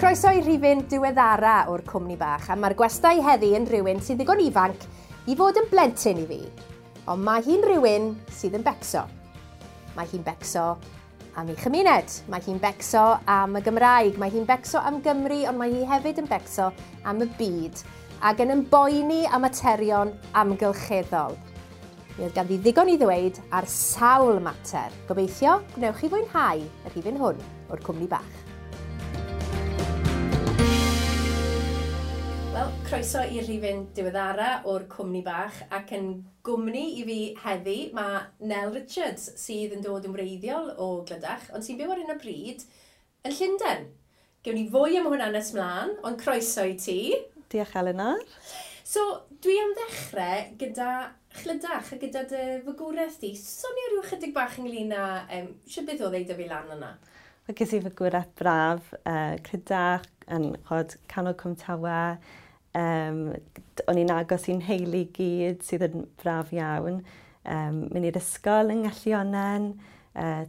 Croeso i rhifyn diweddara o'r cwmni bach, a mae'r gwestai heddi yn rhywun sy'n ddigon ifanc i fod yn blentyn i fi. Ond mae hi'n rhywun sydd yn becso. Mae hi'n becso am ei chymuned, mae hi'n becso am y Gymraeg, mae hi'n becso am Gymru, ond mae hi hefyd yn becso am y byd, ac yn ymboeni am materion amgylcheddol. Mi oedd ganddi ddigon i ddweud ar sawl mater. Gobeithio, gwnewch chi fwynhau y rhifyn hwn o'r cwmni bach. Wel, croeso i'r rhifyn diweddara o'r cwmni bach ac yn gwmni i fi heddi mae Nel Richards sydd yn dod yn wreiddiol o Glydach, ond sy'n byw ar hyn o bryd yn Llundain. Gewn ni fwy am hwnna nes mlaen, ond croeso i ti. Diolch Eleanor. So, dwi am ddechrau gyda Chlydach a gyda dy fagwraeth di. Sonio rhyw chydig bach ynglyn â sut beth oedd ei dyfu lan yna? Wel, ges i fagwraeth braf, Clydach, yn chod, canol Cwm Tawe. O'n i'n agos i'n nheulu gyd, sydd yn braf iawn. Mynd i'r ysgol yng Ngellionnen,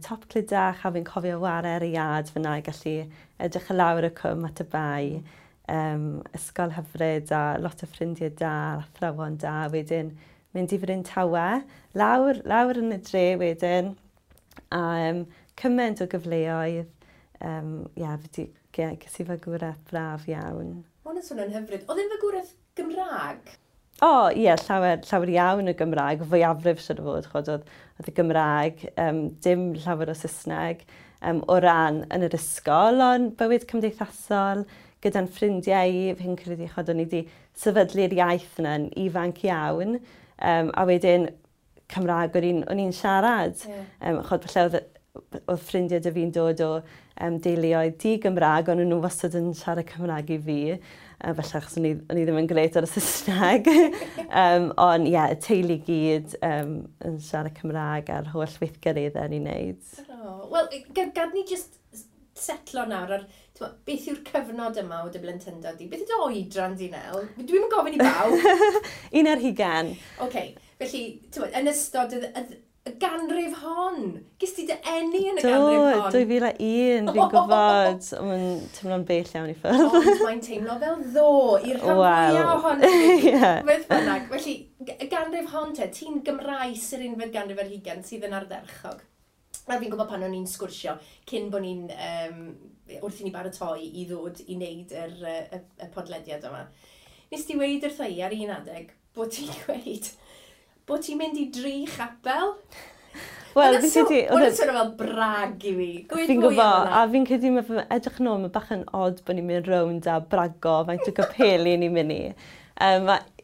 top Clydach, a fi'n cofio ware ar y iard fyna i gallu edrych i lawr y cwm at y bae. Ysgol hyfryd a lot o ffrindiau da, athrawon da. Wedyn mynd i Fryn Tawe, lawr, lawr yn y dre wedyn, a cymaint o gyfleoedd. Yeah, yeah, ges i fagwraeth braf iawn. Mae hwn yn swnio'n hyfryd. Oedd e'n fagwraeth Gymraeg? O, ie, yeah, llawer, llawer iawn o Gymraeg, fwyafrif siwr o fod, chod, oedd y Gymraeg, dim llawer o Saesneg o ran yn yr ysgol, ond bywyd cymdeithasol gyda'n ffrindiau i, fi'n credu, chod, o'n i wedi sefydlu'r iaith yna yn ifanc iawn, a wedyn Cymraeg o'n i'n siarad. Yeah. Chod, falle oedd ffrindiau dy fi'n dod o deuluoedd di-Gymraeg, ond nhw wastad yn siarad Cymraeg i fi. Felly achos o'n i ddim yn grêt ar y Saesneg. Ond ie, yeah, y teulu gyd yn siarad Cymraeg a'r holl weithgareddau ni'n neud. Oh, wel, gad ni just setlo nawr ar beth yw'r cyfnod yma o dy blentyndod di? Beth yw dy oedran di, Nel? Dwi'm yn gofyn i bawb. 21. Oce, felly, yn ystod y ganrif hon. Ges ti dy eni yn y ganrif hon? Do, 2001, fi'n gwybod. Mae'n teimlo'n bell iawn i ffwrdd. Ond mae'n teimlo fel ddo i'r rhan fwyaf ohono ni. Beth bynnag. Felly, y ganrif hon te, ti'n Gymraes yr unfed ganrif ar hugain sydd yn ardderchog. A fi'n gwybod pan o'n i'n sgwrsio, cyn bod ni'n, wrth i ni baratoi i ddod i wneud y podlediad yma. Nes ti weud wrtha i ar un adeg bod ti'n gweud bod ti'n mynd i dri chapel? Wel, fi'n credu... Oedd yn swnio fel brag i fi. Fi'n gwybod, a fi'n credu mae edrych yn ôl, mae bach yn odd bod ni'n mynd rownd a brago faint o gapeli ni'n mynd i.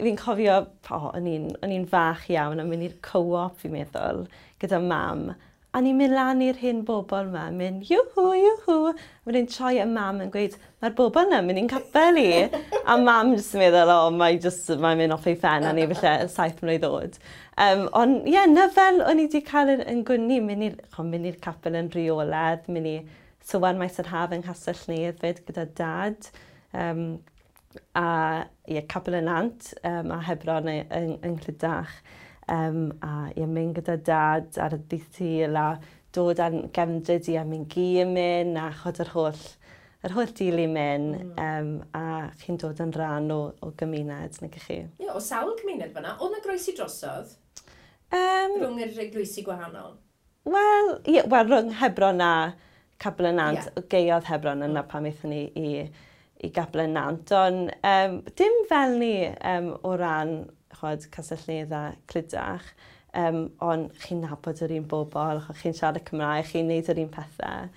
Fi'n cofio, o'n i'n fach iawn a mynd i'r co-op, fi'n meddwl, gyda mam. A ni'n mynd lan i'r hen bobl yma, mynd iwhw, iwhw. A wedyn troi y mam yn gweud, mae'r bobl yna mynd i'n capel i. A mam jyst yn meddwl, o, mae'n mynd off ei phen, a ni falle 7 mlwydd oed. Ond ie, yeah, na fel o'n i wedi cael yn gwni, mynd i'r capel yn rheolaidd, mynd i Sowan Maes yr Haf yng Nghastell Nedd fyd gyda dad. A ie, Capel y Nant a Hebron yng Nghlydach. A ie, mynd gyda dad ar y dydd Sul a dod â'n gefndryd i a mynd gi yn mynd a chod yr holl deulu mynd, a chi'n dod yn rhan o gymuned, nag ych chi? Ie, o sawl cymuned fyna. Oedd na groesi drosodd? Rhwng yr eglwysi gwahanol? Wel, ie, rhwng Hebron a Capel y Nant, yeah. Gaeodd Hebron yna pan aethon ni i Capel y Nant, ond dim fel ni o ran chod, Castell Nedd a Clydach, ond chi'n nabod yr un bobl, chi'n siarad Cymraeg, chi'n neud yr un pethau.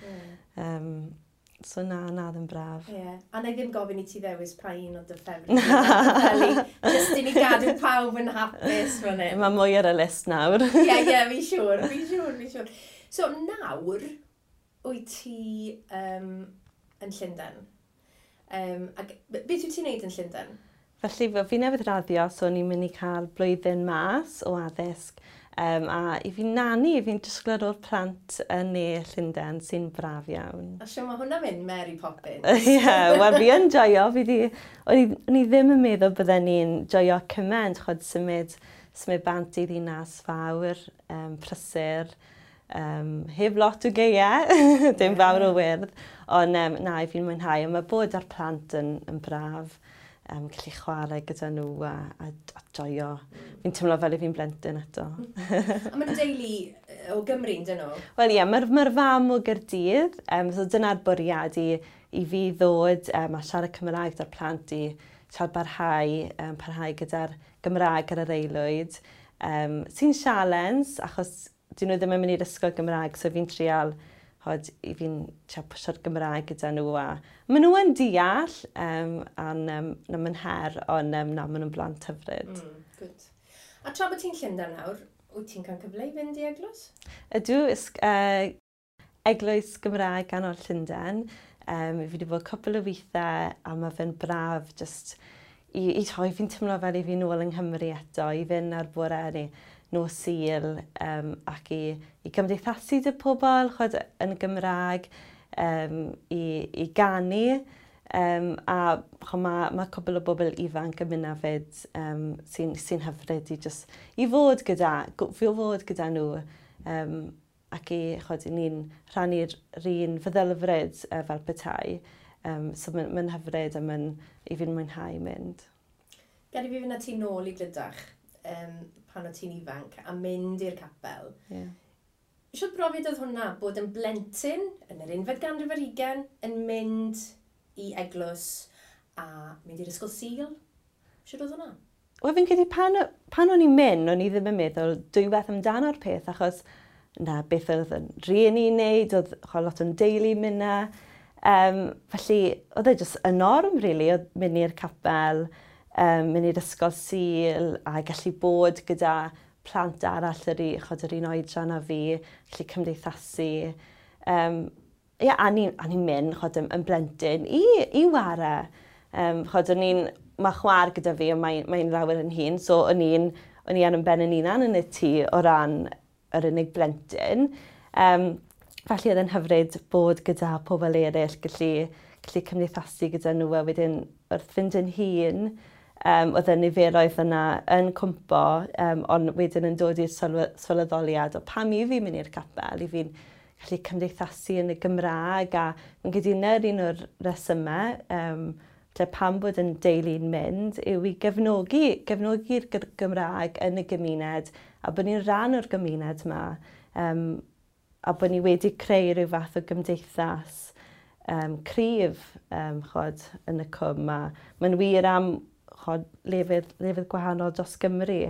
So na ddim braf. Yeah. A na i ddim gofyn i ti ddewis pa un o dy ffefryn. Just i ni gadw pawb yn hapus fan hyn. Mae mwy ar y list nawr. Ie, fi'n siŵr. So nawr, wyt ti yn Llundain? Ac beth wyt ti'n neud yn Llundain? Felly, fi newydd raddio, so ni'n mynd i cael blwyddyn mas o addysg. A i fi'n nani, fi'n disgwyl ar ôl plant yn ne Llundain sy'n braf iawn. A siw mae hwnna'n mynd Mary Poppins? Ie, wel fi yn joio. O'n i ddim yn meddwl bydden ni'n joio cymaint, chod symud bant i ddinas fawr, prysur. Heb lot o geia, dim fawr o wyrdd, ond na, i fi'n mwynhau. Ond mae bod ar plant yn braf, gallu chwarae gyda nhw a joio. Fi'n teimlo fel i fi'n blentyn eto. A maen nhw'n deulu o Gymru, dyn nhw? Wel ie, mae'r fam o Gaerdydd, so dyna'r bwriad i fi ddod a siarad Cymraeg 'da'r plant i siarad parhau gyda'r Gymraeg ar yr aelwyd. Sy'n sialens, achos dyn nhw ddim yn mynd i'r ysgol Gymraeg, so fi'n trial, chod, i fi'n trial pwsio'r Gymraeg gyda nhw. A maen nhw yn deall, a'n na, mae'n her, ond na, maen nhw'n blant hyfryd. Good. A tra bod ti'n Llundain nawr, wyt ti'n cael cyfle i fynd i eglwys? Ydw, Eglwys Gymraeg Ganol Llundain. Fi wedi bod cwpl o weithiau a mae fe'n braf just i toi, fi'n teimlo fel i fi nôl yng Nghymru eto, i fynd ar bore neu nos Sul ac i gymdeithasu 'da pobl, chod, yn y Gymraeg, i ganu. A mae cwpl o bobl ifanc yn mynd hefyd sy'n hyfryd i, just, i fod gyda nhw ac i, chod, i ni'n rhannu'r un feddylfryd fel petai. So mae'n hyfryd a mae'n i fi'n mwynhau mynd. Gad i fi fynd â ti nôl i Glydach pan o ti'n ifanc a mynd i'r capel. Shwt brofiad oedd hwnna, bod yn blentyn yn yr 21st ganrif yn mynd i eglwys a mynd i'r ysgol Sul? Shwt oedd hwnna? Wel, fi'n credu pan o'n i'n mynd, o'n i ddim yn meddwl dwywaith amdano'r peth, achos na beth oedd yn rhieni wneud, oedd lot o'n deulu mynd na. Felly, oedd e jyst y norm, really, oedd mynd i'r capel, mynd i'r ysgol Sul, a gallu bod gyda plant arall chod, yr un oedran â fi, gallu cymdeithasu. Ie, a ni'n mynd, chod, yn blentyn i ware. Chod, mae chwaer gyda fi, ond mae lawer yn hŷn, so o'n i ar yn ben yn hunan yn y tŷ o ran yr unig blentyn. Felly oedd yn hyfryd bod gyda pobl eraill, gallu cymdeithasu gyda nhw a wedyn wrth fynd yn hŷn, oedd y niferoedd yna yn cwmpo, ond wedyn yn dod i'r sylweddoliad o pam i fi mynd i'r capel, i fi'n gallu cymdeithasu yn y Gymraeg a yn gyda'r un o'r resymau lle pam bod yn deulu'n mynd yw i gefnogi'r Gymraeg yn y gymuned a bod ni'n rhan o'r gymuned yma a bod ni wedi creu rhyw fath o gymdeithas cryf chod, yn y cwm a mae'n wir am, chod, lefydd gwahanol dros Gymru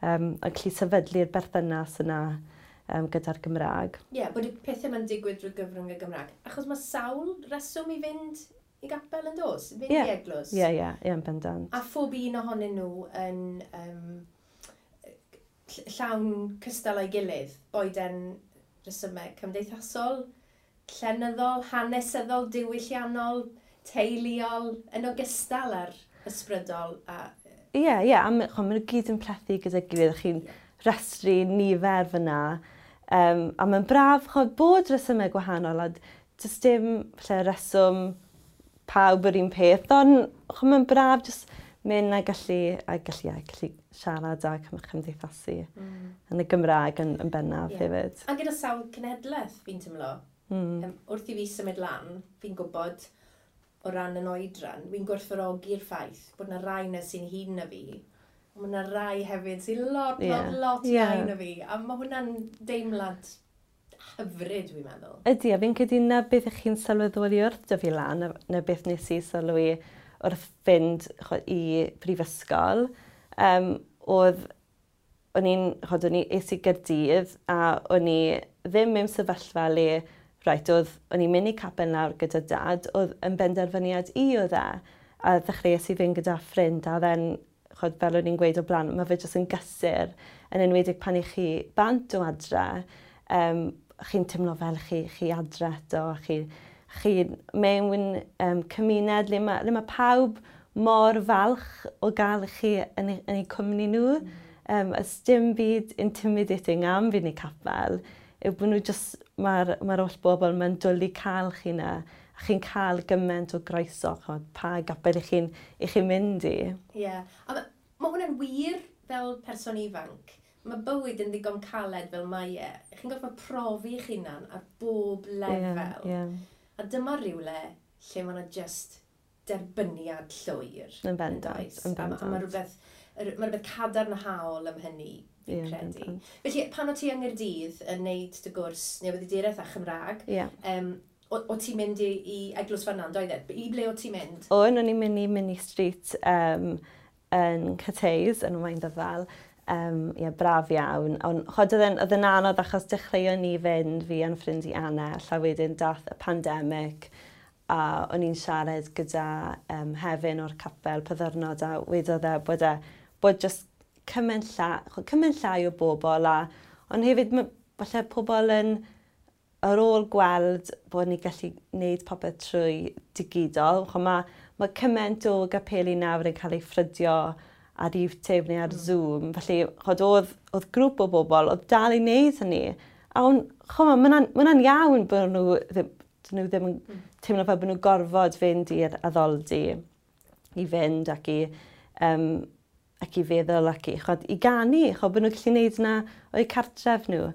a gallu sefydlu'r berthynas yna gyda'r Gymraeg. Ie, yeah, bod y pethau ma'n digwydd drwy gyfrwng y Gymraeg. Achos mae sawl reswm i fynd i gapel yn dos, fynd i eglwys. Ie, yn bendant. A phob un ohonyn nhw yn llawn cystal o'i gilydd, boed yn resymau cymdeithasol, llenyddol, hanesyddol, diwylliannol, teuluol, yn ogystal â'r ysbrydol. Ie, a maen nhw gyd yn plethu gyda'i gilydd. Chi'n restru nifer fyna. A mae'n braf chod, bod resymau gwahanol a does dim lle reswm pawb yr un peth, ond mae'n braf jyst mynd a gallu siarad a cymdeithasu yn y Gymraeg yn bennaf hefyd. A gyda sawl cenhedlaeth, fi'n teimlo. Wrth i fi symud lan, fi'n gwybod o ran yn oedran, fi'n gwerthfawrogi'r ffaith bod yna rai na sy'n hŷn na fi, ond mae yna rai hefyd sy'n lot, lot, lot iau na fi. A mae hwnna'n deimlad hyfryd, dwi'n meddwl. Ydy, a fi'n credu na beth ych chi'n sylweddoli wrth dyfu lan, na beth nes i sylwi wrth fynd i brifysgol, oedd o'n i'n, chod, o'n i es i Gaerdydd a o'n i ddim mewn sefyllfa le, right, oedd, o'n i'n mynd i capel nawr gyda dad, oedd yn benderfyniad i oedd e. A ddechreuais i fynd gyda ffrind a then, chod, fel o'n i'n gweud o blaen, mae fe jyst yn gysur, yn enwedig pan i chi bant o adre, chi'n teimlo fel chi adre eto, a chi mewn cymuned le mae pawb mor falch o gael chi yn eu cwmni nhw. Ys dim byd intimidating am fynd i capel, yw bod nhw just, mae'r holl bobl mae'n dwlu cael chi na, a chi'n cael gymaint o groeso, chod, pa gapel i chi mynd i. Ie. Yeah. A ma hwnna'n wir fel person ifanc. Mae bywyd yn ddigon caled fel mae e. Chi'n gorfod profi eich hunan ar bob lefel. Yeah, yeah. A dyma rywle lle mae yna just derbyniad llwyr. Yn bendant, yn bendant. A mae rhywbeth cadarnhaol am hynny, fi'n credu. Felly, pan o ti yng Nghaerdydd yn neud dy gwrs newyddiaduraeth a Chymraeg, o ti'n mynd i Eglwys Fannan, doedd e? I ble o ti'n mynd? O'n i'n mynd i Minnie Street yn Cathays, yn Waundyfal. Ie, braf iawn. Ond chod, oedd e'n anodd achos dechreuon ni fynd, fi a'n ffrind i Anna, a wedyn dath y pandemig, a o'n i'n siarad gyda Hefin o'r capel pa ddwrnod, a wedodd e bod just cymaint llai o bobl, ond hefyd falle pobl yn ar ôl gweld bod ni gallu gwneud popeth trwy digidol. Mae cymaint o gapeli nawr yn cael ei ffrydio ar YouTube neu ar Zoom. Felly, chod, oedd grŵp o bobl oedd dal i wneud hynny. A mae hwnna'n iawn bod nhw ddim yn teimlo fel bod nhw'n gorfod fynd i'r addoldy i fynd ac i feddwl ac i ganu, chod, bod nhw'n gallu gwneud yna o'u cartref nhw.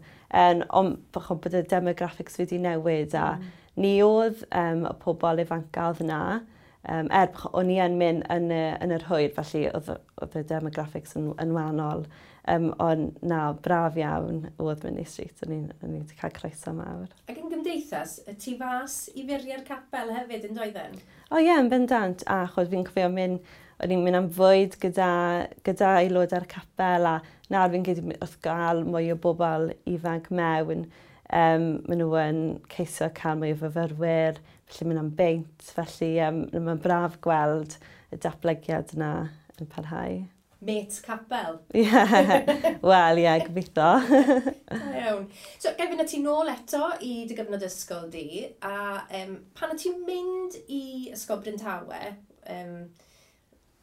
Ond bod y demographics wedi newid a ni oedd y pobl ifanca oedd yna. O'n i yn mynd yn yr hwyr, felly oedd y demographics yn wahanol. Ond na, braf iawn oedd Minnie Street, o'n i'n wedi cael croeso mawr. Ac yn gymdeithas, y tu fas i furiau'r capel hefyd yn doedden? O ie, yn bendant. A chod, fi'n cofio mynd, o'n i'n mynd am fwyd gyda aelodau'r capel, a nawr fi'n credu wrth gael mwy o bobl ifanc mewn, maen nhw yn ceisio cael mwy o fyfyrwyr, felly mynd am beint, felly mae'n braf gweld y datblygiad yna yn parhau. Mates capel. Ie, wel ie, gobeithio. Da iawn. So, gai fynd â ti nôl eto i dy gyfnod ysgol di, a pan o ti'n mynd i Ysgol Bryn Tawe,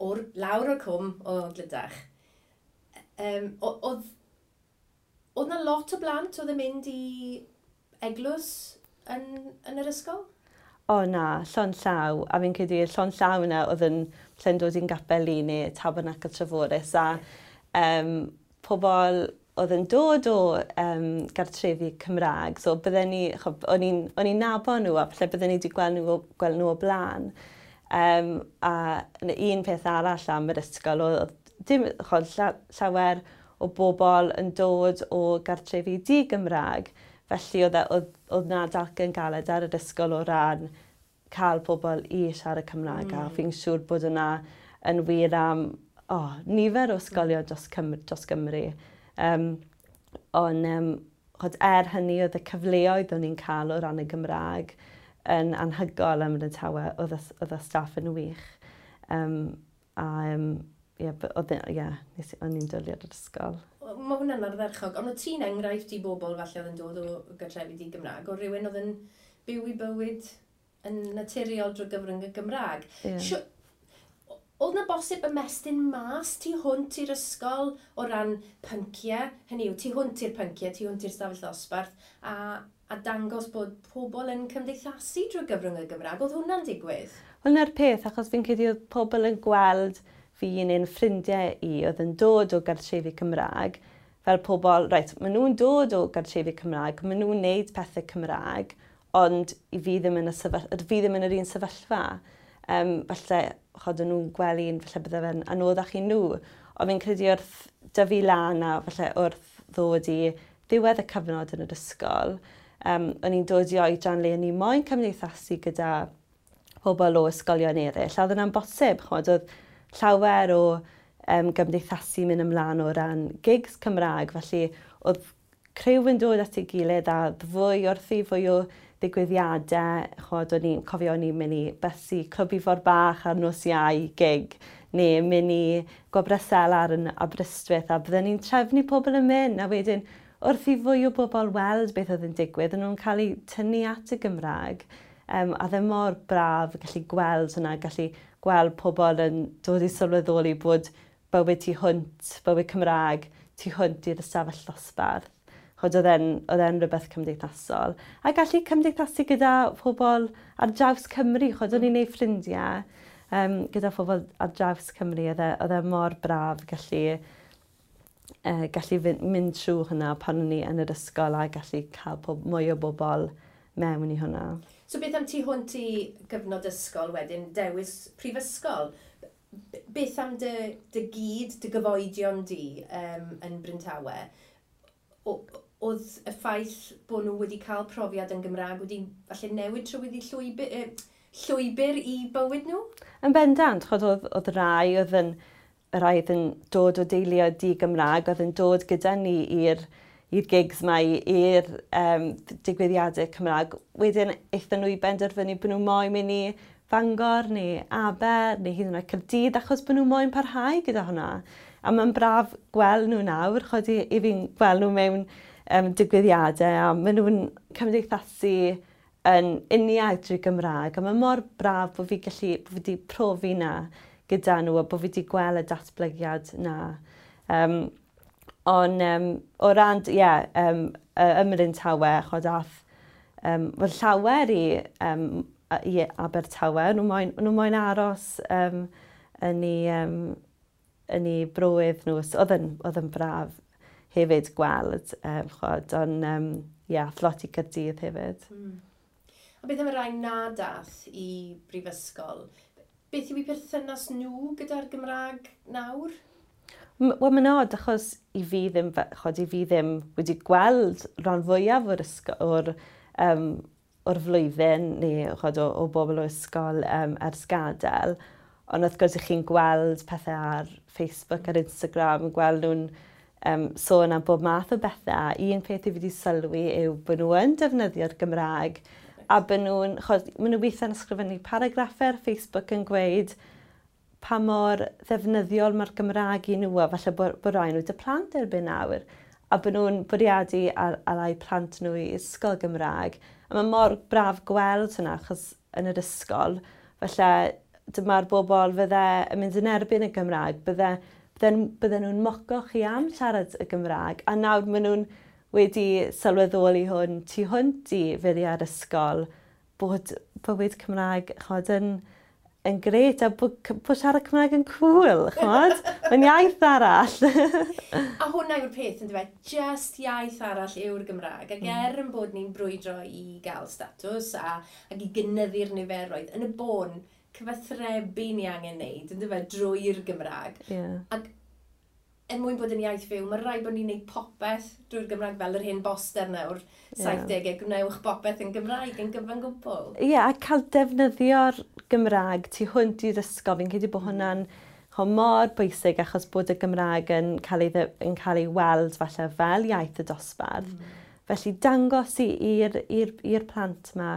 lawr o'r cwm o Glydach, oedd na lot o blant oedd yn mynd i eglwys yn yr ysgol? O na, llond llaw. A fi'n credu llond llaw yna oedd yn lle'n dod i'n gapel i neu Tabernacl Treforys. A pobl oedd yn dod o gartrefi Cymraeg. So bydden ni, o'n i'n nabod nhw a falle bydden ni wedi gweld nhw o blaen. A un peth arall am yr ysgol oedd dim, llawer o bobl yn dod o gartrefi di-Gymraeg. Felly oedd na dalcen galed ar yr ysgol o ran cael pobl i siarad Cymraeg. A fi'n siŵr bod yna yn wir am nifer o ysgolion dros Gymru. Ond hynny oedd y cyfleoedd o'n i'n cael o ran y Gymraeg yn anhygoel ym Mryn Tawe, oedd y staff yn wych. O'n i'n dwlu ar yr ysgol. Mae hwnna'n ardderchog, ond oedd ti'n enghraifft i bobl falle oedd yn dod o gartrefi di-Gymraeg, o rhywun oedd yn byw i bywyd yn naturiol drwy gyfrwng y Gymraeg. Yeah. Oedd na bosib ymestyn mas tu hwnt i'r ysgol o ran pynciau, hynny yw, tu hwnt i'r pynciau, tu hwnt i'r stafell ddosbarth, a dangos bod pobl yn cymdeithasu drwy gyfrwng y Gymraeg. Oedd hwnna'n digwydd? Wel, na'r peth, achos fi'n credu oedd pobl yn gweld fi neu'n ffrindiau i oedd yn dod o gartrefi Cymraeg, fel pobl, reit, maen nhw'n dod o gartrefi Cymraeg, maen nhw'n neud pethau Cymraeg, ond i fi ddim yn, fi ddim yn yr un sefyllfa. Falle, chod, o'n nhw'n gweld un, falle bydde fe'n anoddach i nhw. Ond fi'n credu wrth dyfu lan a falle wrth ddod i ddiwedd y cyfnod yn yr ysgol, o'n i'n dod i oedran le o'n i moyn cymdeithasu gyda pobl o ysgolion eraill. A oedd yna'n bosib, chod, oedd llawer o gymdeithasu mynd ymlaen o ran gigs Cymraeg, felly oedd criw yn dod at ei gilydd a fwy wrthi, fwy o ddigwyddiadau. Chod, o'n i'n cofio o'n i'n mynd i bysu Clwb Ifor Bach ar nos Iau gig, neu mynd i Gwobrau Selar yn Aberystwyth, a bydden ni'n trefnu pobl yn mynd, a wedyn wrth i fwy o bobl weld beth oedd yn digwydd, o'n nhw'n cael eu tynnu at y Gymraeg. A ddim mor braf gallu gweld hwnna, gallu gweld pobl yn dod i sylweddoli bod bywyd tu hwnt, bywyd Cymraeg, tu hwnt i'r ystafell ddosbarth. Chod, oedd e'n rhywbeth cymdeithasol. A gallu cymdeithasu gyda pobl ar draws Cymru, chod, o'n i'n neud ffrindiau gyda phobl ar draws Cymru, oedd e mor braf gallu gallu mynd trwy hwnna pan o'n i yn yr ysgol a gallu cael mwy o bobl mewn i hwnna. So beth am tu hwnt i gyfnod ysgol wedyn, dewis prifysgol? Beth am dy gyd, dy gyfoedion di yn Bryntawe? Oedd y ffaith bod nhw wedi cael profiad yn Gymraeg wedi falle newid trywydd i llwybr i bywyd nhw? Yn bendant, chod oedd rai oedd yn, y rai oedd yn dod o deuluoedd di-Gymraeg, oedd yn dod gyda ni i'r gigs ma, i'r digwyddiadau Cymraeg. Wedyn aethon nhw i benderfynu bod nhw moyn mynd i Fangor neu Aber neu hyd yn oed Caerdydd achos bod nhw moyn parhau gyda hwnna. A mae'n braf gweld nhw nawr, chod i fi'n gweld nhw mewn digwyddiadau a maen nhw'n cymdeithasu yn uniaith drwy Gymraeg. A mae mor braf bod fi gallu, bod fi wedi profi na gyda nhw a bod fi wedi gweld y datblygiad na. Ond o ran, ie, yeah, ym Mryntawe, chod ath, wel, llawer i Abertawe, nhw moyn aros yn ei broedd nhw. So, oedd yn braf hefyd gweld, chod, ond ie, yeah, lot i Gaerdydd hefyd. A beth am y rai na dath i brifysgol? Beth yw eu perthynas nhw gyda'r Gymraeg nawr? Wel, mae'n od, achos i fi ddim, chod, i fi ddim wedi gweld rhan fwyaf o'r ysgol, o'r flwyddyn neu chod, o bobl o ysgol ers gadael. Ond wrth gwrs, chi'n gweld pethau ar Facebook, ar Instagram, gweld nhw'n sôn am bob math o bethau. Un peth i fi wedi sylwi yw bod nhw yn defnyddio'r Gymraeg a bod nhw'n, chod, maen nhw weithiau'n ysgrifennu paragraffau ar Facebook yn gweud pa mor ddefnyddiol mae'r Gymraeg i nhw, a falle bod rai nhw dy plant erbyn nawr, a bod nhw'n bwriadu ar eu plant nhw i ysgol Gymraeg. A mae mor braf gweld hwnna, achos yn yr ysgol, falle dyma'r bobl fydde yn mynd yn erbyn y Gymraeg, bydde nhw'n moco chi am siarad y Gymraeg, a nawr maen nhw'n wedi sylweddoli hwn tu hwnt i furiau'r ysgol, bod bywyd Cymraeg, chod, yn gret, a bod siarad Cymraeg yn cool, chod? Mae'n iaith arall. A hwnna yw'r peth, yn dweud, just iaith arall yw'r Gymraeg. Ac er yn bod ni'n brwydro i gael statws ac i gynyddu'r niferoedd, yn y bôn, cyfathrebu ni angen wneud, yn dweud, drwy'r Gymraeg. Yeah. Ac er mwyn bod yn iaith fyw, mae rhaid bod ni'n gwneud popeth drwy'r Gymraeg fel yr hen boster nawr, 70au, gwnewch popeth yn Gymraeg yn gyfan gwbl. Ie, yeah, a cael defnyddio'r Gymraeg tu hwnt i'r ysgol, fi'n credu bod hwnna'n mor bwysig achos bod y Gymraeg yn cael ei weld falle fel iaith y dosbarth. Felly dangos i'r plant yma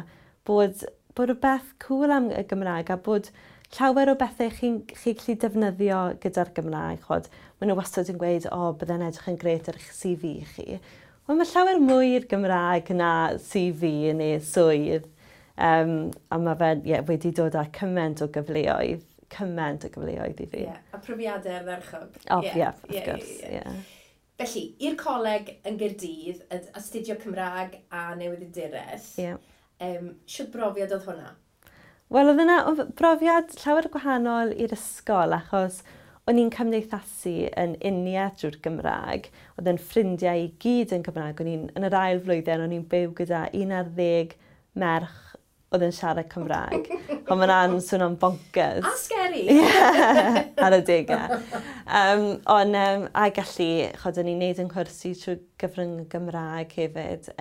bod rhywbeth cool am y Gymraeg a bod llawer o bethau chi'n gallu defnyddio gyda'r Gymraeg. Chod, maen nhw wastad yn gweud, o, bydde'n edrych yn gret ar eich CV chi. Wel, mae llawer mwy i'r Gymraeg na CV neu swydd. A mae fe wedi dod â cymaint o gyfleoedd i fi. Yeah, a profiadau ardderchog. O, ie, wrth gwrs, ie. Felly, i'r coleg yn Gaerdydd, astudio Cymraeg a newyddiaduraeth, yeah. Shwt brofiad oedd hwnna? Wel, oedd yna brofiad llawer gwahanol i'r ysgol, achos o'n i'n cymdeithasu yn uniaith drwy'r Gymraeg. Oedd yn ffrindiau i gyd yn Gymraeg. O'n i'n, yn yr ail flwyddyn, o'n i'n byw gyda 11 merch oedd yn siarad Cymraeg. Ond mae'n an swnio'n bonkers. A scary! Yeah, ar y degau. Ond, a gallu, chod, o'n i'n neud yn cwrsi trwy gyfrwng y Gymraeg hefyd.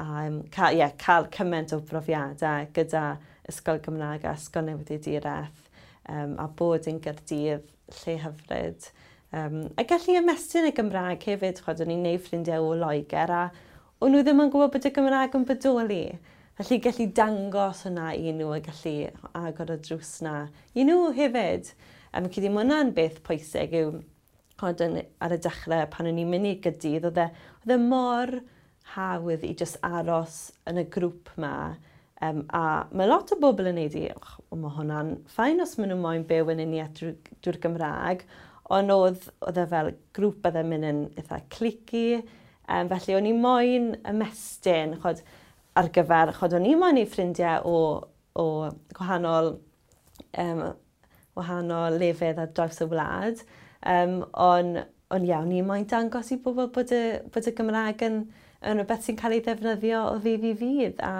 A cael cymaint o brofiadau gyda Ysgol Gymraeg a Ysgol Newyddiaduraeth, a bod yn Gaerdydd lle hyfryd. A gallu ymestyn y Gymraeg hefyd, chod, o'n i'n neud ffrindiau o Loegr a o'n nhw ddim yn gwybod bod y Gymraeg yn bodoli. Felly gallu dangos hwnna i nhw a gallu agor y drws na i nhw hefyd. Fi'n credu mae hwnna'n beth pwysig yw, chod, ar y dechrau pan o'n i'n mynd i Gaerdydd, oedd e mor hawdd i just aros yn y grŵp ma. A mae lot o bobl yn neud i, mae hwnna'n ffain os maen nhw moyn byw yn uniaith drwy'r Gymraeg, ond oedd e fel grŵp oedd e'n mynd yn eitha clicky, felly o'n i moyn ymestyn, chod, ar gyfer, chod, o'n i moyn i ffrindiau o gwahanol, wahanol lefydd ar draws y wlad, ond Ond iawn, ni moyn dangos i bobl bod y Gymraeg yn rhywbeth sy'n cael ei ddefnyddio o ddydd i ddydd a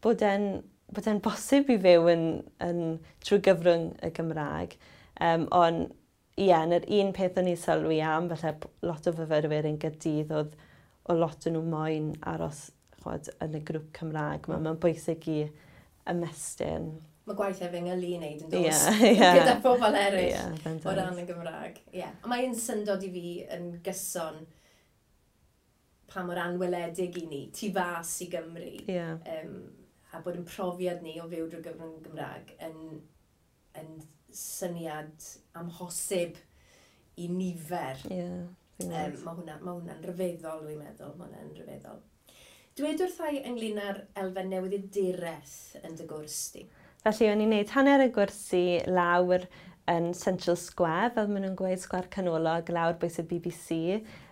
bod e'n bosib i fyw yn trwy gyfrwng y Gymraeg. Ond ie, yeah, yr un peth o'n i sylwi am, falle lot o fyfyrwyr yn Gaerdydd, oedd o lot o nhw moyn aros, chwod, yn y grŵp Cymraeg. Mae'n bwysig i ymestyn. Mae gwaith efengylu i wneud yn does? Yeah. Gyda pobl eraill o ran y Gymraeg. Yeah. A mae'n syndod i fi yn gyson pa mor anweledig i ni, tu fas i Gymru. A bod yn profiad ni o fyw drwy gyfrwng Gymraeg yn syniad amhosib i nifer. Mae hwnna'n rhyfeddol, dwi'n meddwl. Mae hwnna'n rhyfeddol. Dweud wrtha i ynglyn â'r elfen newyddiaduraeth yn dy gwrs di. Felly, o'n i'n neud hanner y gwrsi lawr yn Central Square, fel maen nhw'n gweud, Sgwâr Canolog, lawr bwys y BBC.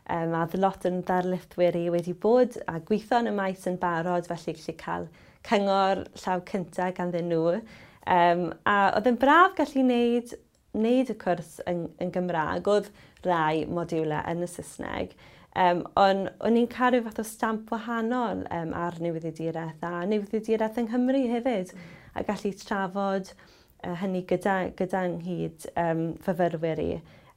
A oedd lot yn ddarlithwyr i wedi bod a gweithio yn y maes yn barod, felly gallu cael cyngor llaw cyntaf ganddyn nhw. A oedd yn braf gallu wneud y cwrs yn Gymraeg. Oedd rai modiwlau yn y Saesneg. Ond o'n i'n cael rhyw fath o stamp wahanol ar newyddiaduraeth a newyddiaduraeth yng Nghymru hefyd. A gallu trafod hynny gyda nghyd fyfyrwyr i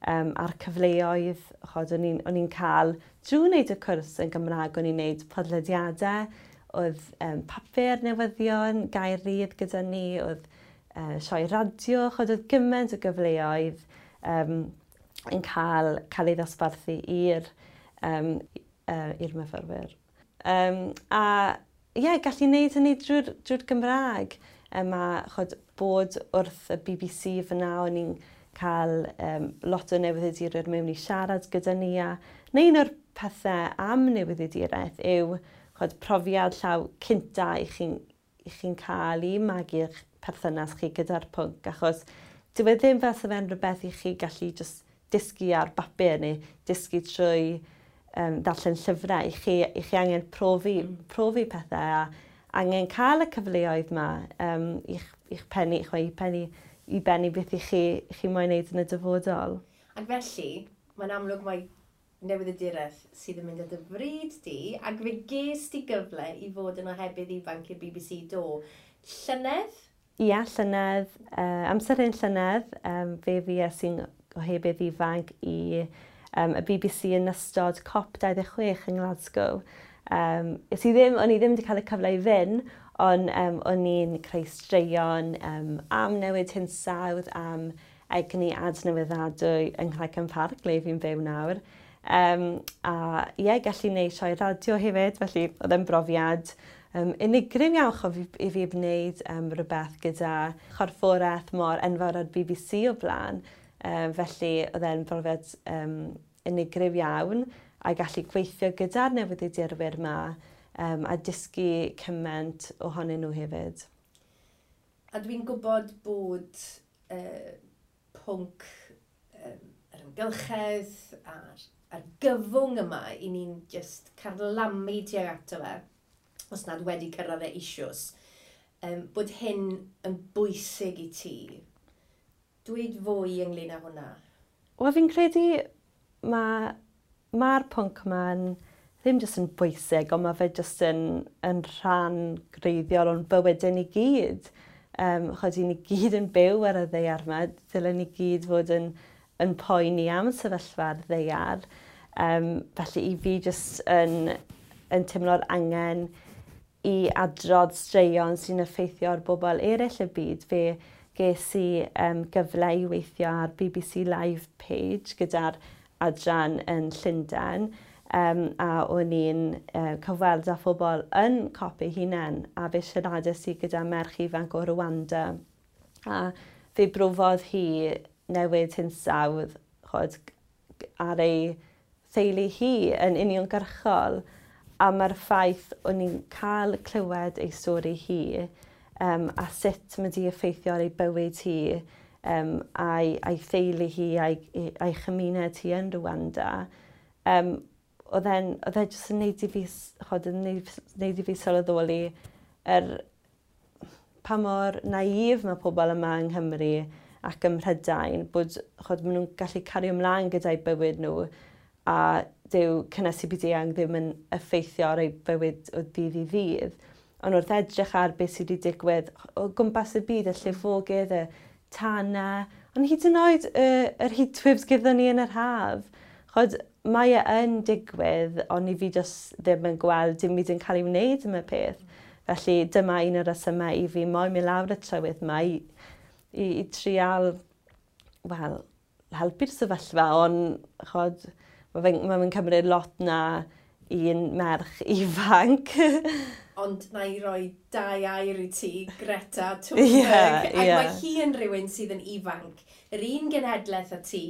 a'r cyfleoedd, chod, o'n i'n cael drwy wneud y cwrs yn Gymraeg, o'n i'n wneud podlediadau, oedd papur newyddion, Gair Rhydd gyda ni, oedd sioe radio, chod, oedd gymaint o gyfleoedd yn cael ei ddosbarthu i'r myfyrwyr. A ie, yeah, gallu wneud hynny drwy'r Gymraeg. A chod, bod wrth y BBC fyna, o'n i'n cael lot o newyddiadurwyr mewn i siarad gyda ni. A neu un o'r pethau am newyddiaduraeth yw, chod, profiad llaw cynta i chi cael i magu'ch perthynas chi gyda'r pwnc, achos dyw e ddim fel fe'n rhywbeth i chi gallu just dysgu ar bapur neu dysgu trwy darllen llyfrau. I chi angen profi pethau a angen cael y cyfleoedd yma i'ch pennu, i bennu beth i chi moyn wneud yn y dyfodol. Ac felly, mae'n amlwg mai newyddiaduraeth sydd yn mynd â dy fryd di, ac fe ges di gyfle i fod yn ohebydd ifanc i'r BBC, do? Llynedd? Ia, llynedd, amser un llynedd, fe fues i'n ohebydd ifanc i y BBC yn ystod COP26 yng Nglasgow. O'n i ddim wedi cael y cyfle i fynd, ond o'n i'n creu straeon am newid hinsawdd, am egni adnewyddadwy yng Nghraig Park, le fi'n byw nawr. A ie, yeah, gallu gwneud sioe radio hefyd, felly oedd e'n brofiad unigryw iawn chof i fi wneud rhywbeth gyda chorfforaeth mor enfawr ar BBC o blaen. Felly oedd e'n brofiad unigryw iawn a gallu gweithio gyda'r newyddiadurwyr yma a dysgu cymaint ohonyn nhw hefyd. A dwi'n gwybod bod pwnc yr amgylchedd a'r argyfwng yma i ni'n just carlamu tuag ato fe, os nad wedi cyrraedd e eisoes, bod hyn yn bwysig i ti. Dweud fwy ynglyn â hwnna. Wel, fi'n credu mae'r pwnc yma'n ddim jyst yn bwysig, ond mae fe jyst yn rhan greiddiol o'n bywydau ni gyd. Chod, i ni gyd yn byw ar y ddaear yma, dylen ni gyd fod yn poeni am sefyllfa'r ddaear. Felly i fi jyst yn teimlo'r angen i adrodd straeon sy'n effeithio ar bobl eraill y byd. Fe ges i gyfle i weithio ar BBC Live page gyda'r adran yn Llundain. A o'n i'n cyfweld â phobl yn COP ei hunain a fe siaradais i gyda merch ifanc o Rwanda. A fe brofodd hi newid hinsawdd, chod, ar ei theulu hi yn uniongyrchol. A mae'r ffaith o'n i'n cael clywed ei stori hi a sut mae di effeithio ar ei bywyd hi a'i theulu hi a'i chymuned hi yn Rwanda, oedd e jyst yn neud i fi, chod, yn neud i fi sylweddoli pa mor naif mae pobl yma yng Nghymru ac ym Mhrydain, bod, chod, maen nhw'n gallu cario ymlaen gyda'i bywyd nhw. A dyw cynnesu byd-eang ddim yn effeithio ar ei bywyd o ddydd i ddydd. Ond wrth edrych ar beth sydd wedi digwydd o gwmpas y byd, y llifogydd, y tanau, ond hyd yn oed yr heatwaves gyda ni yn yr haf. Chod, mae e yn digwydd, ond i fi jyst ddim yn gweld dim byd yn cael ei wneud am y peth. Felly dyma un o'r rhesymau i fi moyn mynd lawr y trywydd yma i trial, wel, helpu'r sefyllfa, ond chod, mae fe'n ma fe cymryd lot na un merch ifanc. Ond na i roi dau air i ti, Greta Thunberg. Ac mae hi yn rhywun sydd yn ifanc, yr un genhedlaeth â ti,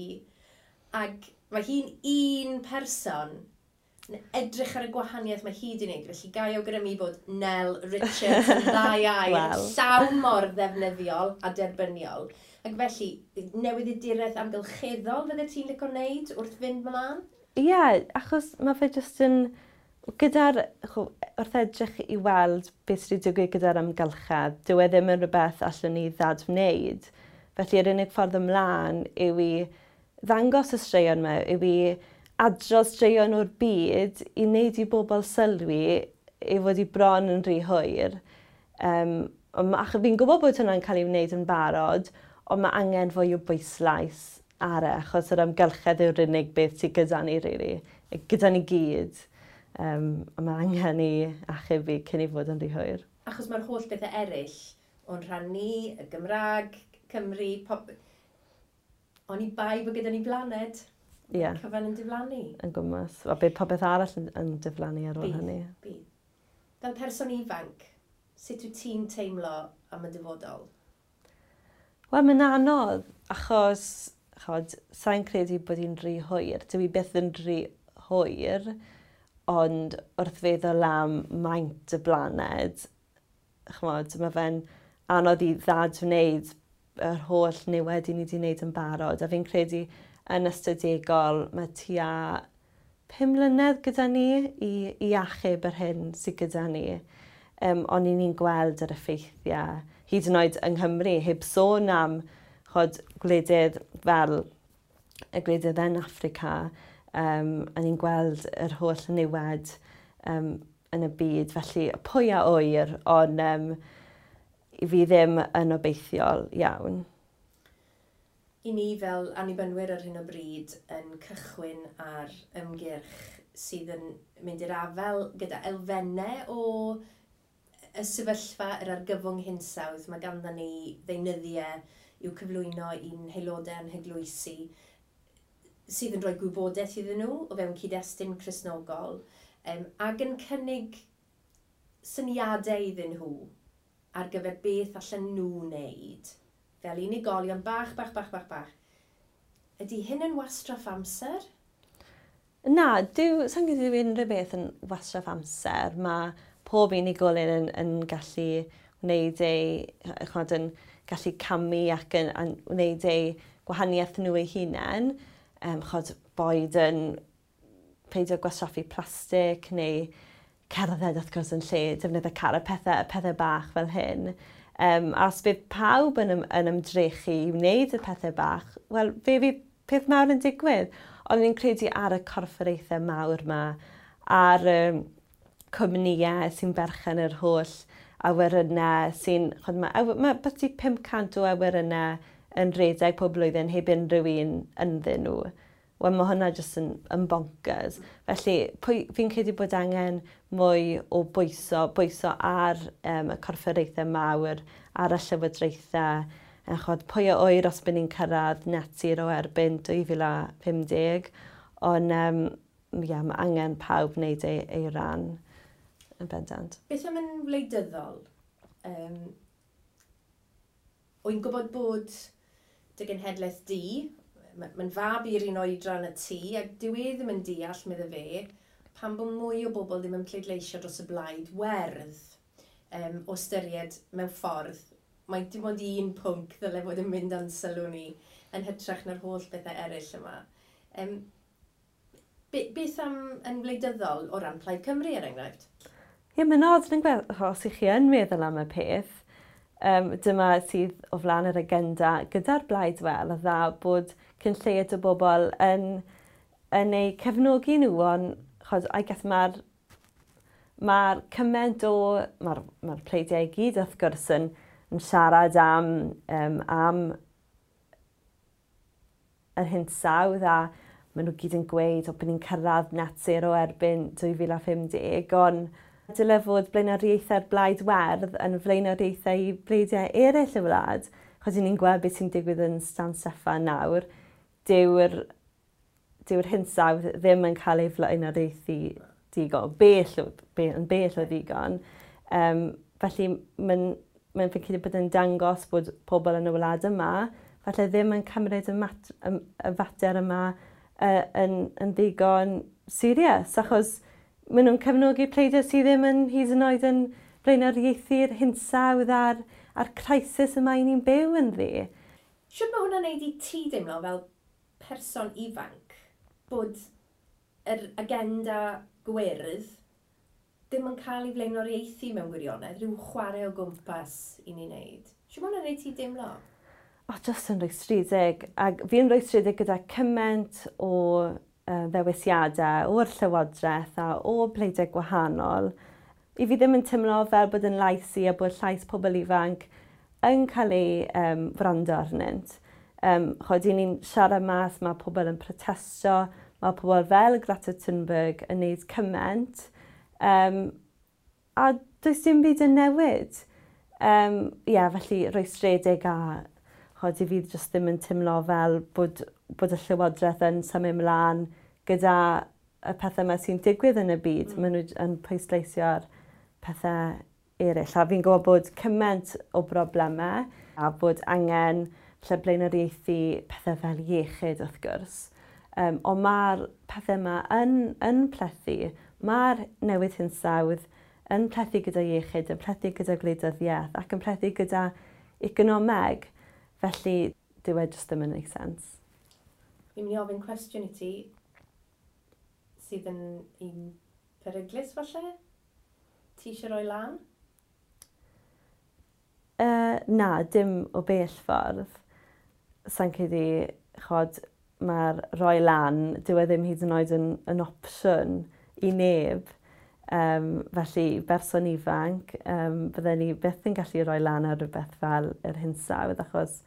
ac mae hi'n un person yn edrych ar y gwahaniaeth mae hi wedi wneud. Felly ga i awgrymu bod Nel Richards yn ddau air llawn mor ddefnyddiol a derbyniol. Ac felly, newyddiaduraeth amgylcheddol fydde ti'n licio wneud wrth fynd mlaen? Ie, yeah, achos mae fe jyst yn... Gyda'r, wrth edrych i weld beth sydd wedi digwydd gyda'r amgylchedd, dyw e ddim yn rhywbeth allwn ni ddadwneud. Felly yr unig ffordd ymlaen yw i ddangos y straeon yma, yw i adrodd straeon o'r byd i wneud i bobl sylwi ei fod i bron yn rhy hwyr. Ac fi'n gwybod bod hwnna'n cael ei wneud yn barod, ond mae angen fwy o bwyslais ar e, achos yr amgylchedd yw'r unig beth sydd gyda ni, really. Gyda ni gyd. A mae angen i achub fi cyn i fod yn rhy hwyr. Achos mae'r holl bethau eraill o'n rhan ni, y Gymraeg, Cymru, pop... Oni bai bod gyda ni blaned. Cyfan yn diflannu. Yn gwmws. A bydd popeth arall yn diflannu ar ôl hynny. Bydd. Fel person ifanc, sut wyt ti'n teimlo am y dyfodol? Wel, mae'n anodd, achos, chod, sa'n credu bod hi'n rhy hwyr. Dyw hi byth yn rhy hwyr, ond wrth feddwl am maint y blaned, ch'mod, mae fe'n anodd i ddadwneud yr holl niwed i ni wedi wneud yn barod. A fi'n credu yn ystadegol mae tua 5 mlynedd gyda ni i achub yr hyn sydd gyda ni. Ond i ni'n gweld yr effeithiau, hyd yn oed yng Nghymru, heb sôn am chod, gwledydd fel y gwledydd yn Affrica, a ni'n gweld yr holl niwed yn y byd. Felly pwy a ŵyr, ond i fi ddim yn obeithiol iawn. I ni fel annibynwyr ar hyn o bryd yn cychwyn ar ymgyrch sydd yn mynd i'r afael gyda elfennau o y sefyllfa yr argyfwng hinsawdd. Mae ganddo ni ddeunyddiau i'w cyflwyno i'n haelodau a'n heglwysi sydd yn rhoi gwybodaeth iddyn nhw o fewn cyd-destun Cristnogol, ac yn cynnig syniadau iddyn nhw ar gyfer beth allan nhw wneud fel unigolion bach, bach, bach, bach, bach. Ydy hyn yn wastraff amser? Na, sa'n credu unrhyw beth yn wastraff amser. Mae pob unigolyn yn gallu wneud ei, ch'mod, yn gallu camu ac yn wneud ei gwahaniaeth nhw eu hunain. Ch'od, boed yn peidio gwastraffu plastig neu cerdded wrth gwrs yn lle defnyddio car, y pethau bach fel hyn. A os bydd pawb yn ymdrechu i wneud y pethau bach, wel, fe fydd peth mawr yn digwydd. Ond fi'n credu ar y corfforaethau mawr yma, ar y cwmnïau sy'n berchen yr holl awyrynnau sy'n... Ch'od, mae byti 500 o awyrynnau yn rhedeg pob blwyddyn heb unrhyw un ynddyn nhw. Wel, mae hwnna jyst yn bonkers. Felly, fi'n credu bod angen mwy o bwyso ar y corfforaethau mawr, ar y llywodraethau. Ch'od, pwy a ŵyr os bydd ni'n cyrraedd net zero erbyn 2050. Ond mae angen pawb wneud ei ran yn bendant. Beth am yn wleidyddol? Wy'n gwybod bod dy genhedlaeth di, mae'n fab i'r un oedran y ti, ac dyw e ddim yn deall, medde fe, pam bod mwy o bobl ddim yn pleidleisio dros y blaid werdd, o ystyried mewn ffordd, mae dim ond un pwnc ddyle fod yn mynd â'n sylw ni yn hytrach na'r holl bethau eraill yma. Beth am yn wleidyddol o ran Plaid Cymru, er enghraifft? Ie, mae'n odd yn gweld, os ych chi yn meddwl am y peth, dyma sydd o flaen yr agenda gyda'r Blaid Werdd, a dda bod cyn lleied o bobl yn yn eu cefnogi nhw, ond chod, I guess mae'r cymaint o... Mae'r pleidiau i gyd wrth gwrs yn siarad am yr hinsawdd a maen nhw gyd yn gweud o bod ni'n cyrraedd net zero erbyn 2050, ond dyle fod blaenoriaethau'r Blaid Werdd yn flaenoriaethau i bleidiau eraill y wlad. Chos ni'n gweld beth sy'n digwydd yn San Steffan nawr, dyw'r hinsawdd ddim yn cael ei flaenoriaethu digon, yn bell o ddigon. Felly mae'n fi'n credu bod yn dangos bod pobl yn y wlad yma falle ddim yn cymryd y fater yma yn ddigon serious, achos maen nhw'n cefnogi pleidiau sydd ddim yn hyd yn oed yn blaenoriaethu'r hinsawdd a'r crisis yma i ni'n byw ynddi. Shwt mae hwnna'n neud i ti deimlo fel person ifanc bod yr agenda gwyrdd ddim yn cael ei flaenoriaethu mewn gwirionedd, rhyw chwarae o gwmpas i ni wneud? Shwt mae hwnna'n neud ti deimlo? O, just yn rhwystredig. Ac fi'n rhwystredig gyda cymaint o ddewisiadau o'r llywodraeth a o pleidiau gwahanol. I fi ddim yn teimlo fel bod yn lais i a bod llais pobl ifanc yn cael ei wrando arnynt. Chod, i ni'n siarad mas, mae pobl yn protestio, mae pobl fel Greta Thunberg yn neud cymaint, a does dim byd yn newid. Yeah, felly rhwystredig a chod, i fi jyst ddim yn teimlo fel bod y llywodraeth yn symud ymlaen gyda y pethau yma sy'n digwydd yn y byd. Maen nhw yn pwysleisio'r pethau eraill. A fi'n gwybod bod cymaint o broblemau a bod angen lle blaenoriaethu pethau fel iechyd wrth gwrs. Ond mae'r pethau yma yn plethu. Mae'r newid hinsawdd yn plethu gyda iechyd, yn plethu gyda gwleidyddiaeth ac yn plethu gyda economeg. Felly, dyw e jyst ddim yn neud sens. Fi'n mynd i ofyn cwestiwn i ti sydd yn un peryglus falle? Ti eisiau rhoi lan? Na, dim o bell ffordd. Sa'n credu, chod, mae'r rhoi lan, dyw e ddim hyd yn oed yn opsiwn i neb. Felly, berson ifanc, bydden ni byth yn gallu rhoi lan ar rhywbeth fel yr hinsawdd, achos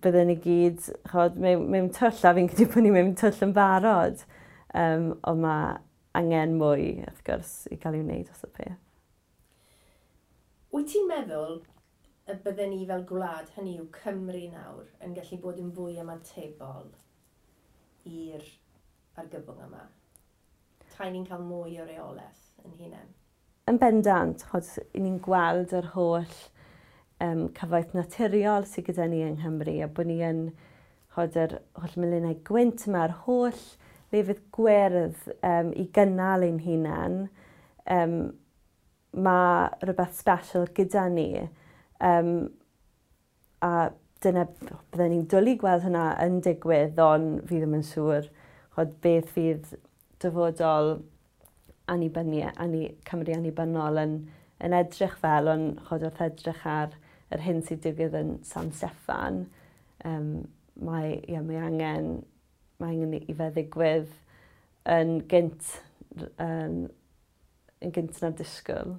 bydden ni gyd, chod, mewn twll, a fi'n credu bod ni mewn twll yn barod. Ond mae angen mwy, wrth gwrs, i gael ei wneud os y peth. Wyt ti'n meddwl y bydden ni fel gwlad, hynny yw Cymru nawr, yn gallu bod yn fwy ymatebol i'r argyfwng yma? Tai ni'n cael mwy o reolaeth yn hunain? Yn bendant, chod, ni'n gweld yr holl cyfoeth naturiol sydd gyda ni yng Nghymru, a bod ni yn, chod, yr holl melinau gwynt yma, yr holl lefydd gwyrdd i gynnal ein hunain. Mae rhywbeth special gyda ni. A dyna, bydden ni'n dwlu gweld hynna yn digwydd, ond fi ddim yn siŵr chod, beth fydd dyfodol Cymru annibynnol yn edrych fel, ond chod, wrth edrych ar yr hyn sy'n digwydd yn San Steffan, mae angen i fe ddigwydd yn gynt, yn gynt na'r disgwyl.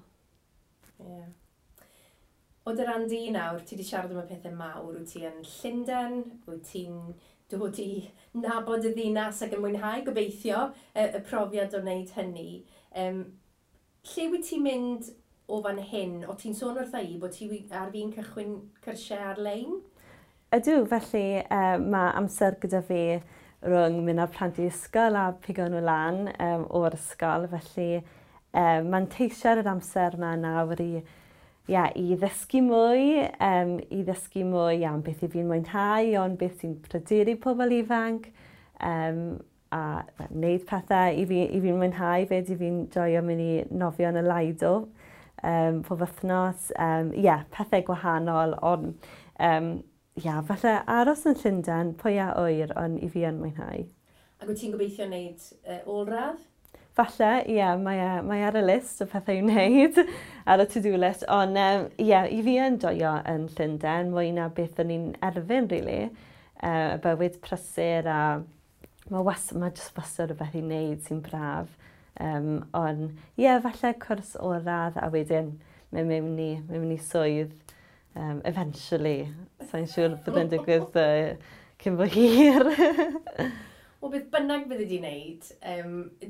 Yeah. O dy ran di nawr, ti wedi siarad am y pethau mawr. Wyt ti yn Llundain, wyt ti'n dod i nabod y ddinas ac yn mwynhau, gobeithio, y profiad o wneud hynny. Lle wyt ti'n mynd o fan hyn? O ti'n sôn wrtha i bod ti ar fin cychwyn cyrsiau ar-lein? Ydw, felly mae amser gyda fi rhwng mynd â'r plant i ysgol a pigo nhw lan o'r ysgol. Felly manteisio ar yr amser yma nawr i ddysgu mwy, am beth i fi'n mwynhau, ond beth sy'n pryderu pobl ifanc, a wneud pethau i fi'n mwynhau, fed i fi'n joio mynd i nofio yn y Lido pob wythnos. Pethau gwahanol, ond falle aros yn Llundain, pwy a ŵyr, ond i fi yn mwynhau. Ac wyt ti'n gobeithio wneud ôl-radd? Falle, ie, mae ar y list o pethau i wneud, ar y to-do list, ond i fi yn joio yn Llundain, mwy na beth o'n i'n erfyn, really. Y bywyd prysur a Mae was, mae jyst wastad rhywbeth i wneud sy'n braf. Ond ie, yeah, falle cwrs ôl-radd a wedyn mynd mewn i swydd eventually. Sa'n siŵr bydd yn digwydd cyn bo hir. Wel, beth bynnag bydde di wneud,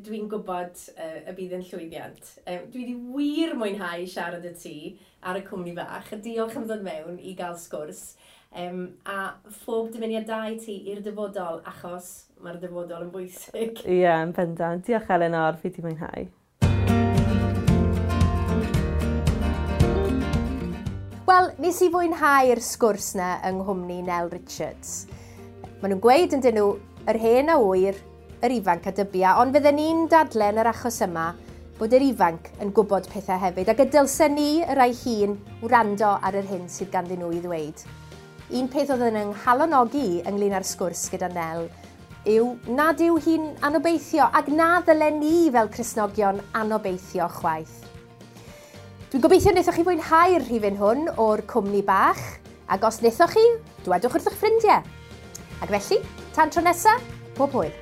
dwi'n gwybod y bydd yn llwyddiant. Dwi wedi wir mwynhau siarad â ti ar y cwmni bach. Diolch am ddod mewn i gael sgwrs. A phob dymuniad da i ti i'r dyfodol, achos mae'r dyfodol yn bwysig. Ie, yeah, yn bendant. Diolch Elinor, fi wedi mwynhau. Wel, nes i fwynhau'r sgwrs na yng nghwmni Nel Richards. Maen nhw'n gweud yn dyn nhw, yr hen a ŵyr, yr ifanc a dybia, ond fydden ni'n dadlen yr achos yma bod yr ifanc yn gwybod pethau hefyd, ac y dylsen ni, y rai hun, wrando ar yr hyn sydd ganddyn nhw i ddweud. Un peth oedd yn 'nghalonogi ynglyn â'r sgwrs gyda Nel yw nad yw hi'n anobeithio ac na ddylen ni fel Cristnogion anobeithio chwaith. Dwi'n gobeithio wnaethoch chi fwynhau'r rhifyn hwn o'r cwmni bach, ac os wnaethoch chi, dwedwch wrth eich ffrindiau. Ac felly, tan tro nesa, pob hwyl.